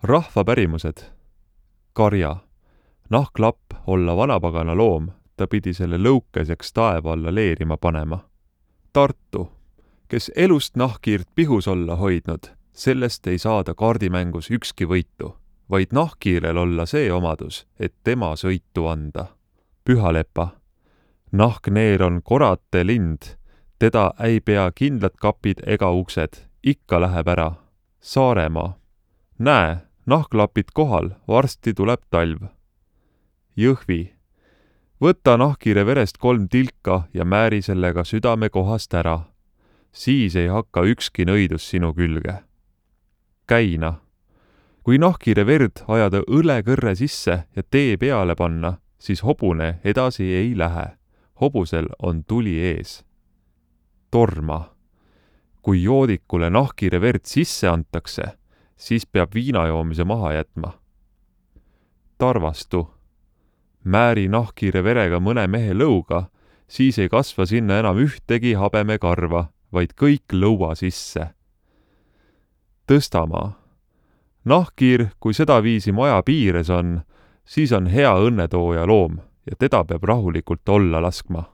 Rahvapärimused. Karja. Nahklapp olla vanapagana loom, ta pidi selle lõukeseks taeva alla leerima panema. Tartu. Kes elust nahkhiirt pihus olla hoidnud, sellest ei saada kaardimängus ükski võitu, vaid nahkhiirel olla see omadus, et tema sõitu anda. Pühalepa. Nahkneer on korate lind, teda ei pea kindlad kapid ega uksed, ikka läheb ära. Saaremaa. Näe, nahklapid kohal, varsti tuleb talv. Jõhvi. Võta nahkhiire verest 3 tilka ja määri sellega südame kohast ära. Siis ei hakka ükski nõidus sinu külge. Käina. Kui nahkhiire verd ajada õlekõrre sisse ja tee peale panna, siis hobune edasi ei lähe. Hobusel on tuli ees. Torma. Kui joodikule nahkhiire verd sisse antakse, siis peab viinajoomise maha jätma. Tarvastu. Määri nahkhiire verega mõne mehe lõuga, siis ei kasva sinna enam ühtegi habemekarva, vaid kõik lõua sisse. Tõstamaa. Nahkhiir, kui seda viisi maja piires on, siis on hea õnnetooja loom ja teda peab rahulikult olla laskma.